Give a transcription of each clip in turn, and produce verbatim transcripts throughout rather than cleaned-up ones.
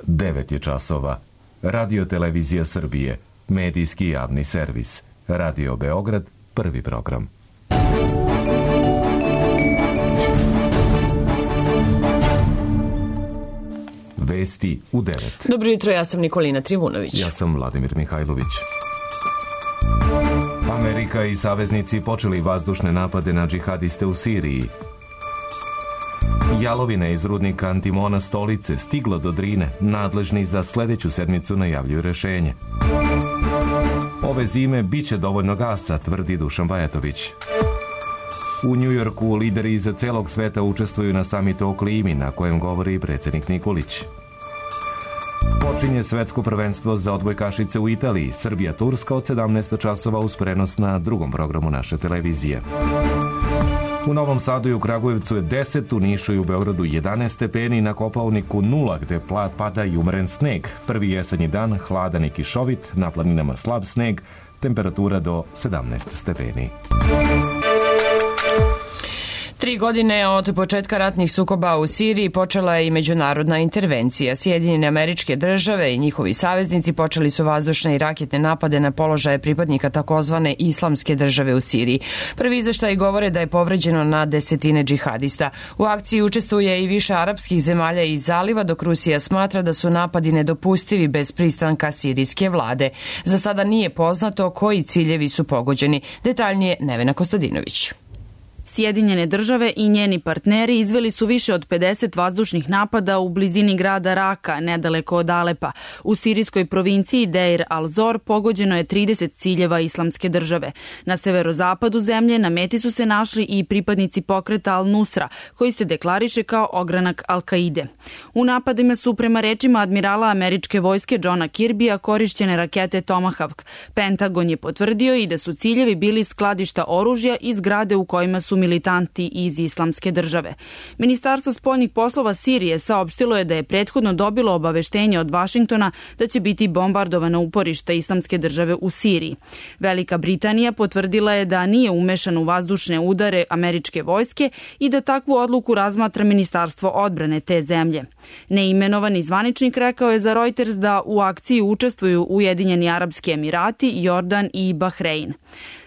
devet je časova. Radio Televizija Srbije, medijski javni servis. Radio Beograd, prvi program. Vesti u devet. Dobro jutro, ja sam Nikolina Trivunović. Ja sam Vladimir Mihajlović. Amerika i saveznici počeli vazdušne napade na džihadiste u Siriji. Jalovina iz rudnika Antimona Stolice stigla do Drine. Nadležni za sledeću sedmicu najavljuju rešenje. Ove zime biće dovoljno gasa, tvrdi Dušan Bajatović. U Njujorku lideri iza celog sveta učestvuju na samitu o klimi, na kojem govori predsjednik Nikolić. Počinje svetsko prvenstvo za odbojkašice u Italiji. Srbija-Turska od sedamnaest časova uz prenos na drugom programu naše televizije. U Novom Sadu i u Kragujevcu je deset, u Nišu i u Beogradu jedanaest stepeni, na Kopaoniku nula, gde pada i umeren sneg. Prvi jesenji dan, hladan i kišovit, na planinama slab sneg, temperatura do sedamnaest stepeni. Tri godine od početka ratnih sukoba u Siriji počela je i međunarodna intervencija. Sjedinjene Američke Države i njihovi saveznici počeli su vazdušne i raketne napade na položaje pripadnika takozvane Islamske države u Siriji. Prvi izveštaji govore da je povređeno na desetine džihadista. U akciji učestvuje i više arapskih zemalja iz zaliva, dok Rusija smatra da su napadi nedopustivi bez pristanka sirijske vlade. Za sada nije poznato koji ciljevi su pogođeni. Detaljnije Nevena Kostadinović. Sjedinjene države i njeni partneri izveli su više od pedeset vazdušnih napada u blizini grada Raka, nedaleko od Alepa. U sirijskoj provinciji Deir al-Zor pogođeno je trideset ciljeva Islamske države. Na severozapadu zemlje na meti su se našli i pripadnici pokreta Al-Nusra, koji se deklariše kao ogranak Al-Kaide. U napadima su, prema rečima admirala američke vojske Johna Kirbija, korišćene rakete Tomahawk. Pentagon je potvrdio i da su ciljevi bili skladišta oružja i zgrade u kojima su militanti iz Islamske države. Ministarstvo spoljnih poslova Sirije saopštilo je da je prethodno dobilo obaveštenje od Vašingtona da će biti bombardovana uporišta Islamske države u Siriji. Velika Britanija potvrdila je da nije umešana u vazdušne udare američke vojske i da takvu odluku razmatra Ministarstvo odbrane te zemlje. Neimenovani zvaničnik rekao je za Reuters da u akciji učestvuju Ujedinjeni Arapski Emirati, Jordan i Bahrein.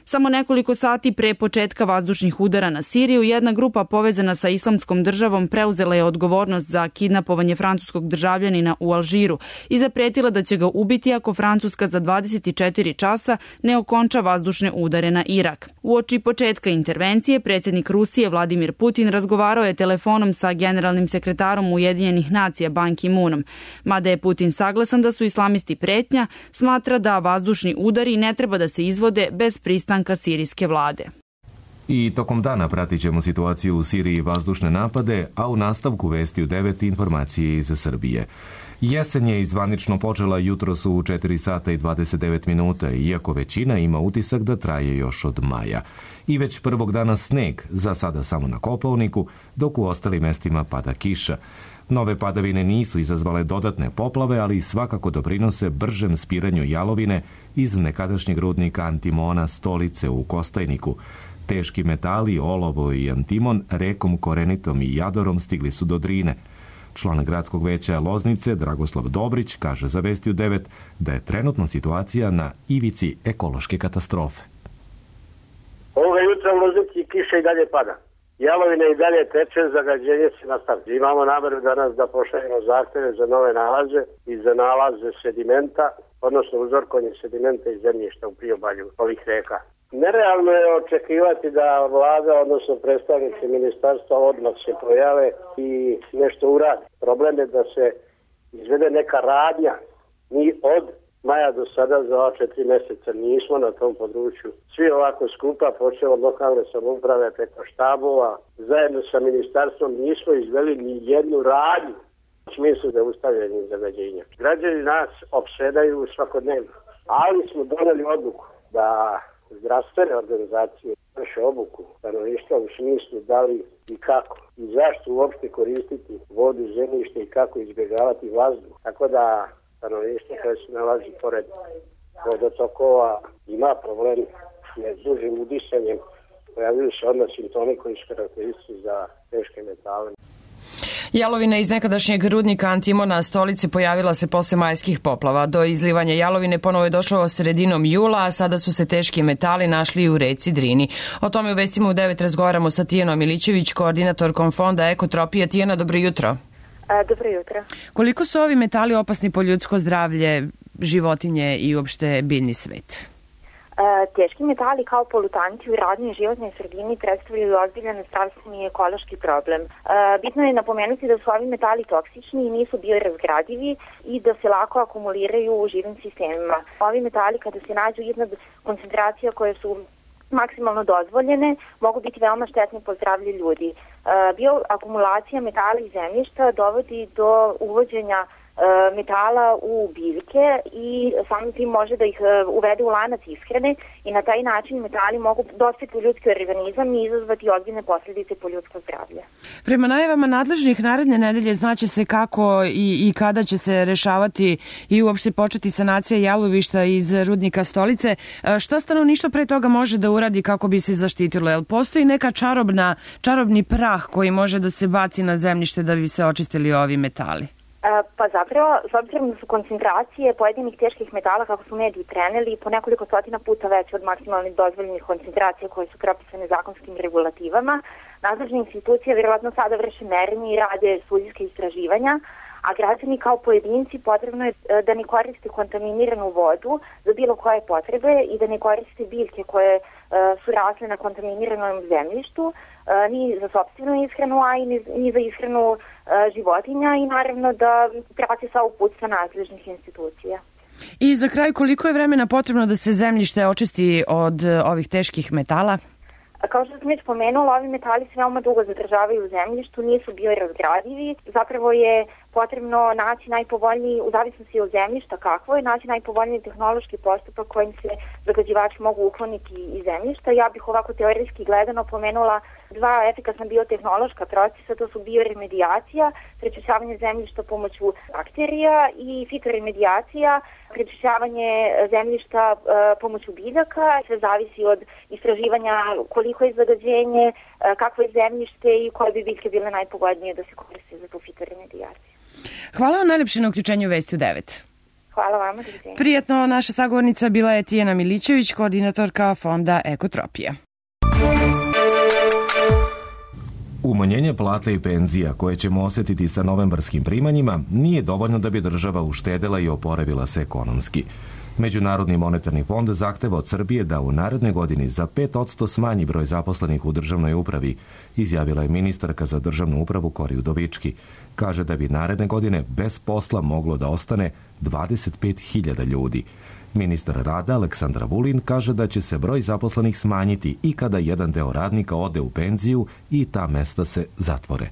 Samo nekoliko sati pre početka vazdušnih udara na Siriju, jedna grupa povezana sa Islamskom državom preuzela je odgovornost za kidnapovanje francuskog državljanina u Alžiru i zapretila da će ga ubiti ako Francuska za dvadeset četiri časa ne okonča vazdušne udare na Irak. Uoči početka intervencije, predsjednik Rusije Vladimir Putin razgovarao je telefonom sa generalnim sekretarom Ujedinjenih nacija Ban Ki-moonom. Mada je Putin saglasan da su islamisti pretnja, smatra da vazdušni udari ne treba da se izvode bez pristanka sirijske vlade. I tokom dana pratit ćemo situaciju u Siriji i vazdušne napade, a u nastavku vesti u devet informacije iz Srbije. Jesen je izvanično počela jutros u četiri sata i dvadeset devet minuta, iako većina ima utisak da traje još od maja. I već prvog dana sneg, za sada samo na Kopaoniku, dok u ostalim mestima pada kiša. Nove padavine nisu izazvale dodatne poplave, ali svakako doprinose bržem spiranju jalovine iz nekadašnjeg rudnika Antimona Stolice u Kostajniku. Teški metali, olovo i antimon rekom Korenitom i Jadorom stigli su do Drine. Član gradskog veća Loznice, Dragoslav Dobrić, kaže za Vesti u devet da je trenutna situacija na ivici ekološke katastrofe. Ovoga jutra u Loznici kiša i dalje pada. Jalovina i dalje teče, zagađenje se nastavlja. Imamo nameru danas da pošaljemo zahteve za nove nalaze i za nalaze sedimenta, odnosno uzorkovanje sedimenta iz zemljišta u priobalju ovih reka. Nerealno je očekivati da vlada, odnosno predstavnici ministarstva odmah se pojave i nešto uradi. Problem je da se izvede neka radnja. Mi od maja do sada za ova četiri mjeseca nismo na tom području svi ovako skupa, počeo od lokalne samouprave preko štabova, zajedno sa ministarstvom nismo izveli ni jednu radnju u smislu zaustavljanja zagađenja. Građani nas opsedaju svakodnevno, ali smo doneli odluku da zdravstvene organizacije vrše obuku stanovništva u smislu da li i kako i zašto uopšte koristiti vodu, zemljište i kako izbjegavati vazduh. Tako da stanovništvo koje se nalazi pored vodotokova ima problem s dužim udisanjem, pojavljuju se odmah simptomi koji su karakteristični za teške metale. Jalovina iz nekadašnjeg rudnika Antimona Stolice pojavila se posle majskih poplava. Do izlivanja jalovine ponovo je došlo sredinom jula, a sada su se teški metali našli i u reci Drini. O tome u Vestima u devet razgovaramo sa Tijanom Milićević, koordinatorkom fonda Ekotropija. Tijana, dobro jutro. A, dobro jutro. Koliko su ovi metali opasni po ljudsko zdravlje, životinje i uopšte biljni svet? Teški metali kao polutanti u radnoj i životnoj sredini predstavljaju ozbiljan zdravstveni i ekološki problem. Bitno je napomenuti da su ovi metali toksični i nisu biorazgradivi i da se lako akumuliraju u živim sistemima. Ovi metali kada se nađu iznad koncentracija koje su maksimalno dozvoljene, mogu biti veoma štetni po zdravlje ljudi. Bioakumulacija metala iz zemljišta dovodi do uvođenja metala u biljke i samim tim može da ih uvede u lanac ishrane i na taj način metali mogu dospeti u ljudski organizam i izazvati ozbiljne posljedice po ljudsko zdravlje. Prema najavama nadležnih naredne nedelje znaće se kako i, i kada će se rešavati i uopšte početi sanacija jalovišta iz rudnika Stolice. Šta stanovništvo pre toga može da uradi kako bi se zaštitilo? Jel postoji neka čarobna, čarobni prah koji može da se baci na zemljište da bi se očistili ovi metali? Pa zapravo, s obzirom da su koncentracije pojedinih teških metala, kako su mediji preneli, po nekoliko stotina puta veće od maksimalnih dozvoljenih koncentracija koje su propisane zakonskim regulativama, nadležne institucije vjerovatno sada vrše merenje i rade studijske istraživanja, a građani kao pojedinci potrebno je da ne koriste kontaminiranu vodu za bilo koje potrebe i da ne koriste biljke koje su rasle na kontaminiranom zemljištu, ni za sopstvenu ishranu, a i ni za ishranu životinja i naravno da prati sva uputstva nadležnih institucija. I za kraj, koliko je vremena potrebno da se zemljište očisti od ovih teških metala? Kao što sam već pomenula, ovi metali se veoma dugo zadržavaju u zemljištu, nisu biorazgradivi. Zapravo je potrebno naći najpovoljniji, u zavisnosti od zemljišta kakvo je, naći najpovoljniji tehnološki postupak kojim se zagađivači mogu ukloniti iz zemljišta. Ja bih ovako teorijski gledano pomenula dva efikasna biotehnološka procesa, to su bioremedijacija, prečišćavanje zemljišta pomoću bakterija, i fitoremedijacija, prečišćavanje zemljišta e, pomoću biljaka. Sve zavisi od istraživanja koliko je zagađenje, e, kakvo je zemljište i koje bi biljke bile najpogodnije da se koriste za tu fitoremedijaciju. Hvala vam najlepše na uključenju u Vesti u devet. Hvala vama. Prijetno, naša sagovornica bila je Tijana Milićević, koordinatorka fonda Ekotropija. Umanjenje plata i penzija koje ćemo osjetiti sa novembarskim primanjima nije dovoljno da bi država uštedela i oporavila se ekonomski. Međunarodni monetarni fond zahteva od Srbije da u narednoj godini za pet posto smanji broj zaposlenih u državnoj upravi, izjavila je ministarka za državnu upravu Kori Udovički. Kaže da bi naredne godine bez posla moglo da ostane dvadeset pet hiljada ljudi. Ministar rada Aleksandar Vulin kaže da će se broj zaposlenih smanjiti i kada jedan deo radnika ode u penziju i ta mesta se zatvore.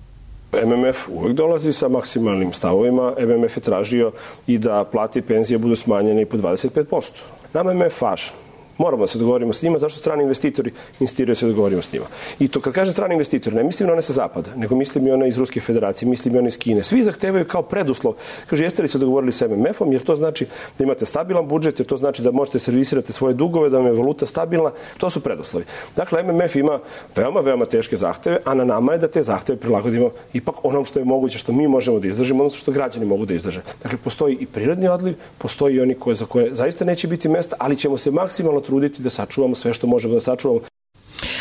M M F uvijek dolazi sa maksimalnim stavovima. M M F je tražio i da plate i penzije budu smanjene i po dvadeset pet posto. Nama je M M F važan. Moramo da se dogovorimo s njima, zašto strani investitori insistiraju se da dogovorimo s njima. I to kad kažem strani investitori, ne mislim na one sa zapada, nego mislim i one iz Ruske federacije, mislim i one iz Kine. Svi zahtevaju kao preduslov. Kaže, jeste li se dogovorili sa M M F-om, jer to znači da imate stabilan budžet, jer to znači da možete servisirati svoje dugove, da vam je valuta stabilna. To su preduslovi. Dakle, M M F ima veoma, veoma teške zahteve, a na nama je da te zahteve prilagodimo ipak onom što je moguće, što mi možemo da izdržimo, odnosno što građani mogu da izdrže. Dakle, postoji i prirodni odliv, postoji i oni koje, za koje zaista neće biti mesta, ali ćemo se maksimalno truditi da sačuvamo sve što možemo da sačuvamo.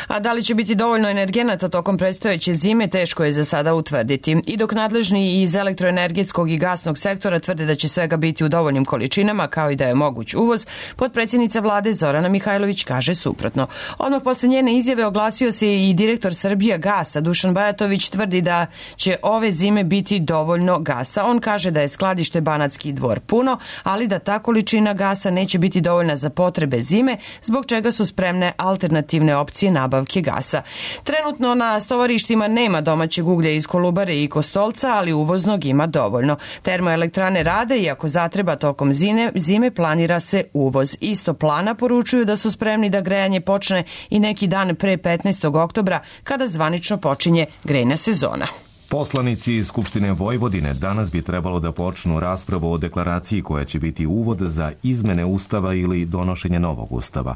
A da li će biti dovoljno energenata tokom predstojeće zime, teško je za sada utvrditi. I dok nadležni iz elektroenergetskog i gasnog sektora tvrde da će svega biti u dovoljnim količinama, kao i da je moguć uvoz, potpredsjednica vlade Zorana Mihajlović kaže suprotno. Odmah posle njene izjave oglasio se i direktor Srbija gasa Dušan Bajatović, tvrdi da će ove zime biti dovoljno gasa. On kaže da je skladište Banatski Dvor puno, ali da ta količina gasa neće biti dovoljna za potrebe zime, zbog čega su spremne alternativne opcije nabavke gasa. Trenutno na stovarištima nema domaćeg uglja iz Kolubare i Kostolca, ali uvoznog ima dovoljno. Termoelektrane rade i ako zatreba tokom zime, zime planira se uvoz. Isto plana poručuju da su spremni da grejanje počne i neki dan pre petnaestog oktobra, kada zvanično počinje grejna sezona. Poslanici iz Skupštine Vojvodine danas bi trebalo da počnu raspravu o deklaraciji koja će biti uvod za izmene Ustava ili donošenje novog Ustava.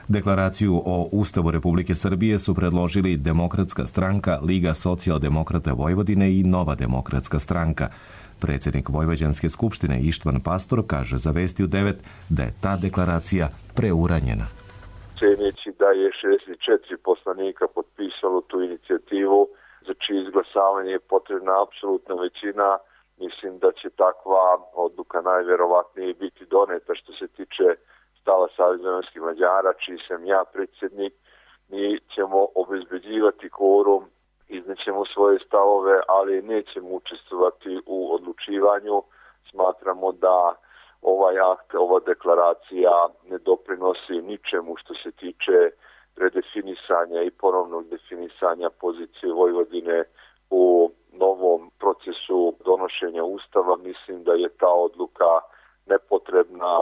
Deklaraciju o Ustavu Republike Srbije su predložili Demokratska stranka, Liga socijaldemokrata Vojvodine i Nova demokratska stranka. Predsjednik Vojvođanske skupštine Ištvan Pastor kaže za Vesti u devet da je ta deklaracija preuranjena. Ceneći da je šezdeset četiri poslanika potpisalo tu inicijativu, za čije izglasavanje je potrebna apsolutna većina, mislim da će takva odluka najverovatnije biti doneta. Što se tiče stava Saveza vojvođanskih Mađara, čiji sam ja predsjednik, mi ćemo obezbeđivati kvorum, iznećemo svoje stavove, ali nećemo učestvovati u odlučivanju. Smatramo da ovaj akt, ova deklaracija ne doprinosi ničemu što se tiče redefinisanja i ponovnog definisanja pozicije Vojvodine u novom procesu donošenja Ustava. Mislim da je ta odluka nepotrebna.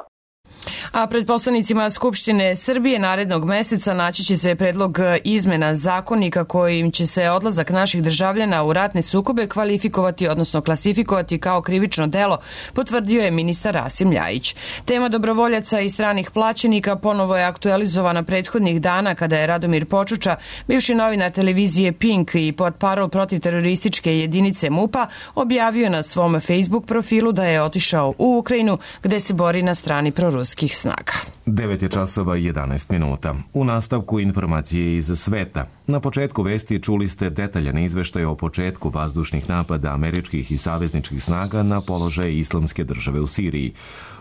A pred poslanicima Skupštine Srbije narednog meseca naći će se predlog izmena zakonika kojim će se odlazak naših državljana u ratne sukobe kvalifikovati, odnosno klasifikovati kao krivično delo, potvrdio je ministar Rasim Ljajić. Tema dobrovoljaca i stranih plaćenika ponovo je aktualizovana prethodnih dana kada je Radomir Počuča, bivši novinar televizije Pink i portparol protiv terorističke jedinice MUP-a, objavio na svom Facebook profilu da je otišao u Ukrajinu gde se bori na strani proruskih snaga. devet je časova i jedanaest minuta. U nastavku informacije iz sveta. Na početku vesti čuli ste detaljan izveštaj o početku vazdušnih napada američkih i savezničkih snaga na položaje Islamske države u Siriji.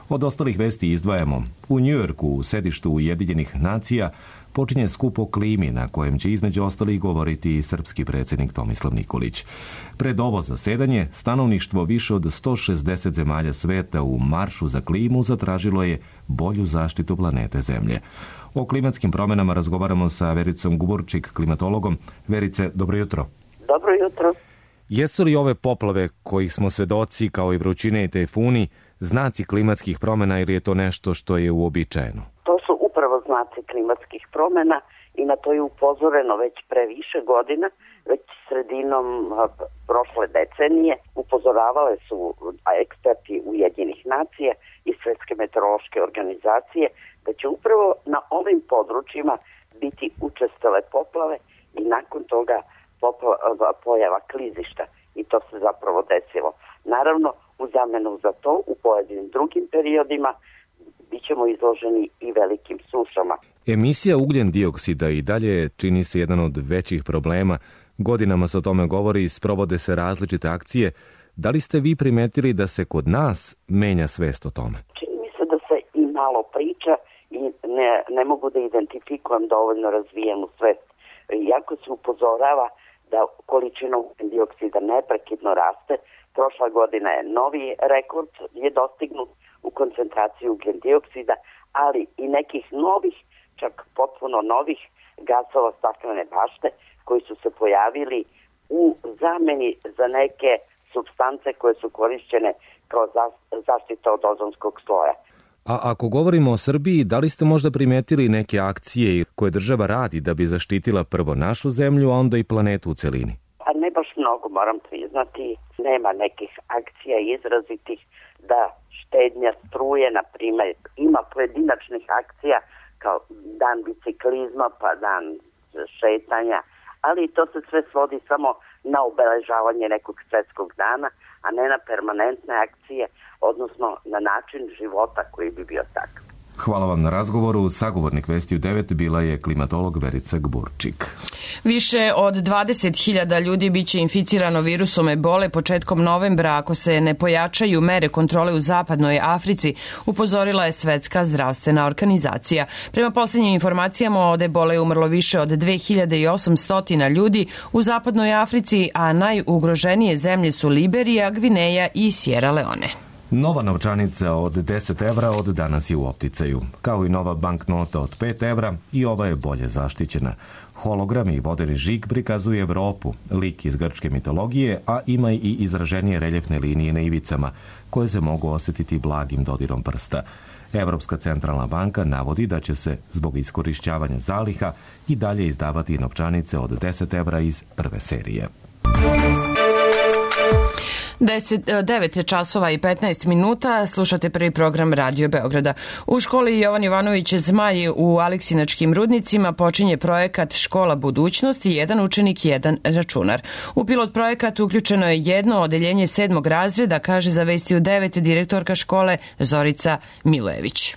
Od ostalih vesti izdvajamo. U Njujorku, u sedištu Ujedinjenih nacija, počinje skup o klimi na kojem će između ostalih govoriti i srpski predsjednik Tomislav Nikolić. Pred ovo zasedanje, stanovništvo više od sto šezdeset zemalja sveta u maršu za klimu zatražilo je bolju zaštitu planete Zemlje. O klimatskim promjenama razgovaramo sa Vericom Guborčik, klimatologom. Verice, dobro jutro. Dobro jutro. Jesu li ove poplave kojih smo svedoci, kao i vrućine i tajfuni, znaci klimatskih promjena ili je to nešto što je uobičajeno? To su upravo znaci klimatskih promjena i na to je upozoreno već pre više godina, već sredinom prošle decenije. Upozoravale su eksperti Ujedinjenih nacija i Svjetske meteorološke organizacije da će upravo na ovim područjima biti učestale poplave i nakon toga poplava, pojava klizišta. I to se zapravo desilo. Naravno, u zamenu za to, u pojedinim drugim periodima, bit ćemo izloženi i velikim sušama. Emisija ugljen dioksida i dalje čini se jedan od većih problema. Godinama se o tome govori i sprovode se različite akcije. Da li ste vi primetili da se kod nas menja svest o tome? Čini mi se da se i malo priča i ne, ne mogu da identifikujem dovoljno razvijenu svest. Iako se upozorava da količina ugljen dioksida neprekidno raste, prošla godina je novi rekord je dostignut u koncentraciji ugljen dioksida, ali i nekih novih, čak potpuno novih gasova staklene bašte koji su se pojavili u zameni za neke supstance koje su korišćene kao zaštita od ozonskog sloja. A ako govorimo o Srbiji, da li ste možda primetili neke akcije koje država radi da bi zaštitila prvo našu zemlju, a onda i planetu u celini? A ne baš mnogo, moram priznati. Nema nekih akcija izrazitih da štednja struje, na primjer. Ima pojedinačnih akcija kao dan biciklizma, pa dan šetanja, ali to se sve svodi samo na obeležavanje nekog svjetskog dana, a ne na permanentne akcije, odnosno na način života koji bi bio takav. Hvala vam na razgovoru. Sagovornik Vesti u devet bila je klimatolog Verica Gburčik. Više od dvadeset hiljada ljudi biće inficirano virusom ebole početkom novembra ako se ne pojačaju mere kontrole u zapadnoj Africi, upozorila je Svetska zdravstvena organizacija. Prema posljednjim informacijama od ebole je umrlo više od dve hiljade osamsto ljudi u zapadnoj Africi, a najugroženije zemlje su Liberija, Gvineja i Sierra Leone. Nova novčanica od deset evra od danas je u opticaju. Kao i nova banknota od pet evra, i ova je bolje zaštićena. Hologram i vodeni žig prikazuje Evropu, lik iz grčke mitologije, a ima i izraženije reljefne linije na ivicama, koje se mogu osjetiti blagim dodirom prsta. Evropska centralna banka navodi da će se, zbog iskorišćavanja zaliha, i dalje izdavati novčanice od deset evra iz prve serije. devet časova i petnaest minuta, slušate prvi program Radio Beograda. U školi Jovan Jovanović Zmaj u Aleksinačkim rudnicima počinje projekat Škola budućnosti, jedan učenik, jedan računar. U pilot projekat uključeno je jedno odeljenje sedmog razreda, kaže za Vesti u devet direktorka škole Zorica Milević.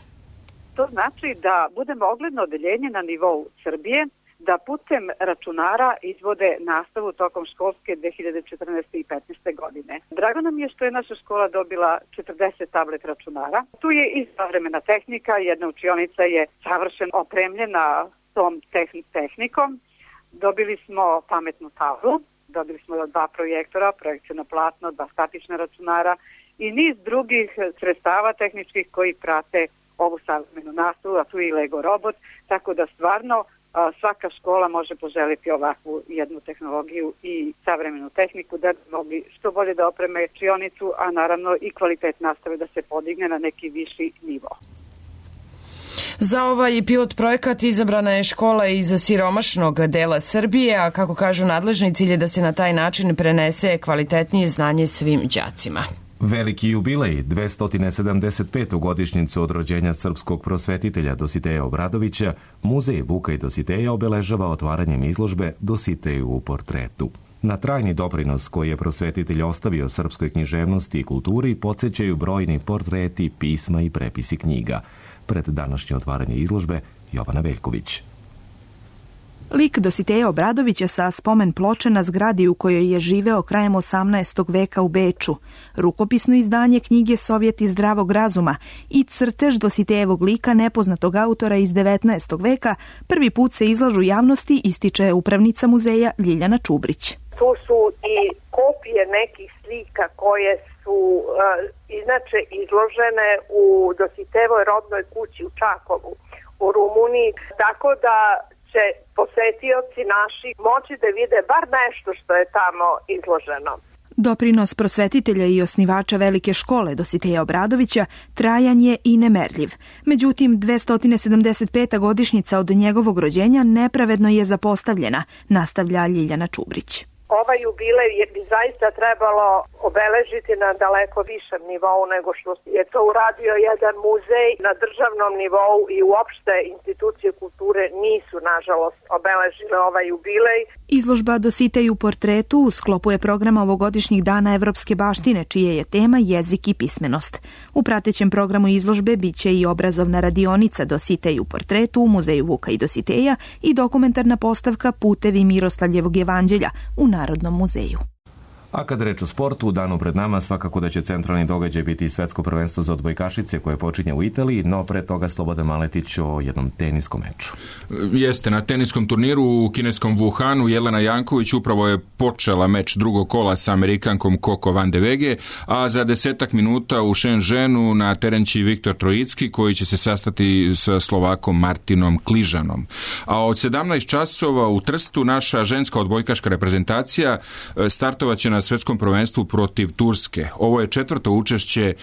To znači da budemo ogledno odeljenje na nivou Srbije, da putem računara izvode nastavu tokom školske dve hiljade četrnaeste. i petnaeste. godine. Drago nam je što je naša škola dobila četrdeset tablet računara. Tu je i savremena tehnika, jedna učionica je savršeno opremljena tom tehnikom. Dobili smo pametnu tablu, dobili smo dva projektora, projekcijno platno, dva statična računara i niz drugih sredstava tehničkih koji prate ovu savremenu nastavu, a tu je i Lego robot, tako da stvarno svaka škola može poželiti ovakvu jednu tehnologiju i savremenu tehniku da bi mogli što bolje da opreme učionicu, a naravno i kvalitet nastave da se podigne na neki viši nivo. Za ovaj pilot projekat izabrana je škola iz siromašnog dela Srbije, a kako kažu nadležni, cilj je da se na taj način prenese kvalitetnije znanje svim đacima. Veliki jubilej, dvesta sedamdeset petu godišnjicu od rođenja srpskog prosvetitelja Dositeja Obradovića, Muzej Vuka i Dositeja obeležava otvaranjem izložbe Dositeju u portretu. Na trajni doprinos koji je prosvetitelj ostavio srpskoj književnosti i kulturi podsećaju brojni portreti, pisma i prepisi knjiga. Pred današnje otvaranje izložbe Jovana Veljković. Lik Dositeja Obradovića sa spomen ploče na zgradi u kojoj je živeo krajem osamnaestog veka u Beču, rukopisno izdanje knjige Sovjeti zdravog razuma i crtež Dositejevog lika nepoznatog autora iz devetnaestog veka prvi put se izlažu javnosti, ističe upravnica muzeja Ljiljana Čubrić. Tu su i kopije nekih slika koje su uh, inače izložene u Dositejevoj rodnoj kući u Čakovu, u Rumuniji, tako da će posetioci naši moći da vide bar nešto što je tamo izloženo. Doprinos prosvetitelja i osnivača velike škole Dositeja Obradovića trajan je i nemerljiv. Međutim, dvesta sedamdeset peta godišnjica od njegovog rođenja nepravedno je zapostavljena, nastavlja Ljiljana Čubrić. Ovaj jubilej je bi zaista trebalo obeležiti na daleko višem nivou nego što je to uradio jedan muzej na državnom nivou i uopšte institucije kulture nisu, nažalost, obeležile ovaj jubilej. Izložba Dositej u portretu u sklopu je programa ovogodišnjih dana Evropske baštine, čije je tema jezik i pismenost. U pratećem programu izložbe biće i obrazovna radionica Dositej u portretu u Muzeju Vuka i Dositeja i dokumentarna postavka Putevi Miroslavljevog jevanđelja u Narodnom muzeju. A kad reč o sportu, u danu pred nama svakako da će centralni događaj biti svetsko prvenstvo za odbojkašice koje počinje u Italiji, no pre toga Slobodan Maletić o jednom teniskom meču. Jeste, na teniskom turniru u kineskom Wuhanu Jelena Janković upravo je počela meč drugog kola sa Amerikankom Coco Van de Wege, a za desetak minuta u Shenzhenu na teren će Viktor Trojicki koji će se sastati sa Slovakom Martinom Kližanom. A od sedamnaest časova u Trstu naša ženska odbojkaška reprezentacija startovaće na svetskom prvenstvu protiv Turske. Ovo je četvrto učešće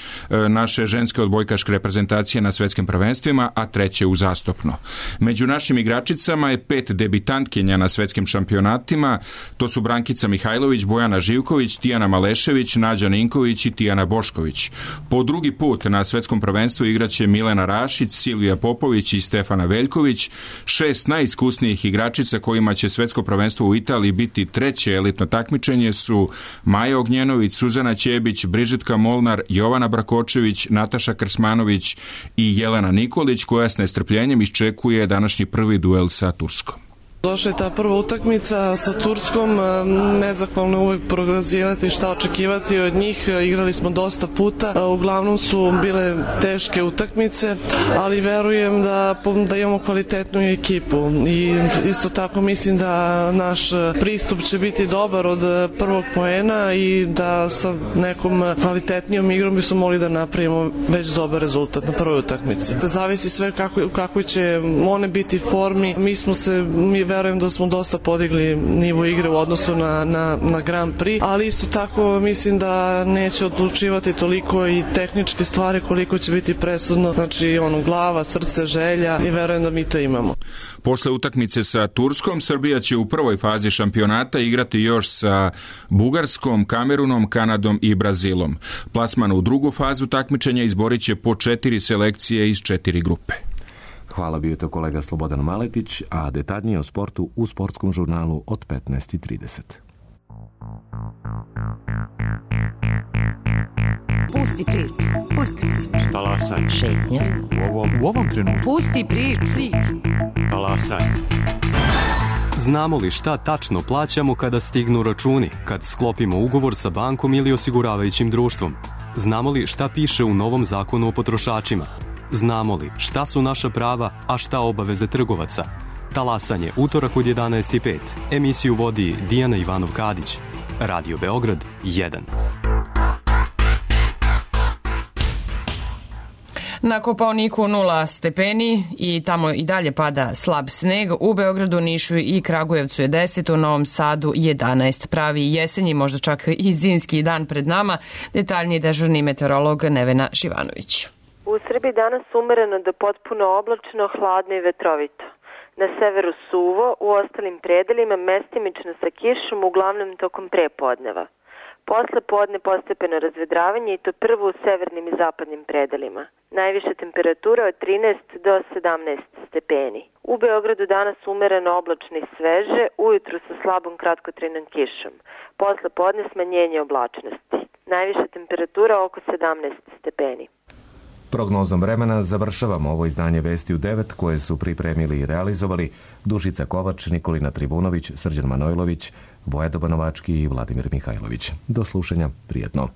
naše ženske odbojkaške reprezentacije na svetskim prvenstvima, a treće uzastopno. Među našim igračicama je pet debitantkinja na svetskim šampionatima. To su Brankica Mihajlović, Bojana Živković, Tijana Malešević, Nađa Ninković i Tijana Bošković. Po drugi put na svetskom prvenstvu igraće Milena Rašić, Silvija Popović i Stefana Veljković. Šest najiskusnijih igračica kojima će svetsko prvenstvo u Italiji biti treće elitno takmičenje su Maja Ognjenović, Suzana Ćebić, Brižitka Molnar, Jovana Brakočević, Nataša Krsmanović i Jelena Nikolić, koja s nestrpljenjem iščekuje današnji prvi duel sa Turskom. Došla je ta prva utakmica sa Turskom, nezahvalno je uvijek prognozirati šta očekivati od njih, igrali smo dosta puta, uglavnom su bile teške utakmice, ali verujem da, da imamo kvalitetnu ekipu i isto tako mislim da naš pristup će biti dobar od prvog poena i da sa nekom kvalitetnijom igrom bismo mogli da napravimo već dobar rezultat na prvoj utakmici. Zavisi sve kako, kako će one biti formi, mi smo se mi verujem da smo dosta podigli nivo igre u odnosu na, na, na Grand Prix, ali isto tako mislim da neće odlučivati toliko i tehničke stvari koliko će biti presudno, znači ono, glava, srce, želja i verujem da mi to imamo. Posle utakmice sa Turskom, Srbija će u prvoj fazi šampionata igrati još sa Bugarskom, Kamerunom, Kanadom i Brazilom. Plasman u drugu fazu takmičenja izborit će po četiri selekcije iz četiri grupe. Hvala, bio je to kolega Slobodan Maletić, a detaljnije o sportu u sportskom žurnalu od petnaest i trideset. Pusti priču, pusti priču. Talasaj. Šetnja. U ovom, u ovom trenutku. Pusti priču. Talasaj. Znamo li šta tačno plaćamo kada stignu računi, kad sklopimo ugovor sa bankom ili osiguravajućim društvom? Znamo li šta piše u novom zakonu o potrošačima? Znamo li šta su naša prava, a šta obaveze trgovaca? Talasanje, utorak od jedanaest i pet. Emisiju vodi Dijana Ivanov-Kadić. Radio Beograd jedan. Na Kopaoniku nula stepeni i tamo i dalje pada slab sneg. U Beogradu, Nišu i Kragujevcu je deset, u Novom Sadu jedanaest. Pravi jesenji, možda čak i zimski dan pred nama. Detaljniji dežurni meteorolog Nevena Šivanović. U Srbiji danas umereno do potpuno oblačno, hladno i vetrovito. Na severu suvo, u ostalim predelima mestimično sa kišom, uglavnom tokom prepodneva. Posle podne postepeno razvedravanje i to prvo u severnim i zapadnim predelima. Najviša temperatura od trinaest do sedamnaest stepeni. U Beogradu danas umereno oblačno i sveže, ujutru sa slabom kratkotrajnom kišom. Posle podne smanjenje oblačnosti. Najviša temperatura oko sedamnaest stepeni. Prognozom vremena završavamo ovo izdanje Vesti u devet koje su pripremili i realizovali Dušica Kovač, Nikolina Trivunović, Srđan Manojlović, Voja Dobanovački i Vladimir Mihajlović. Do slušanja, prijetno.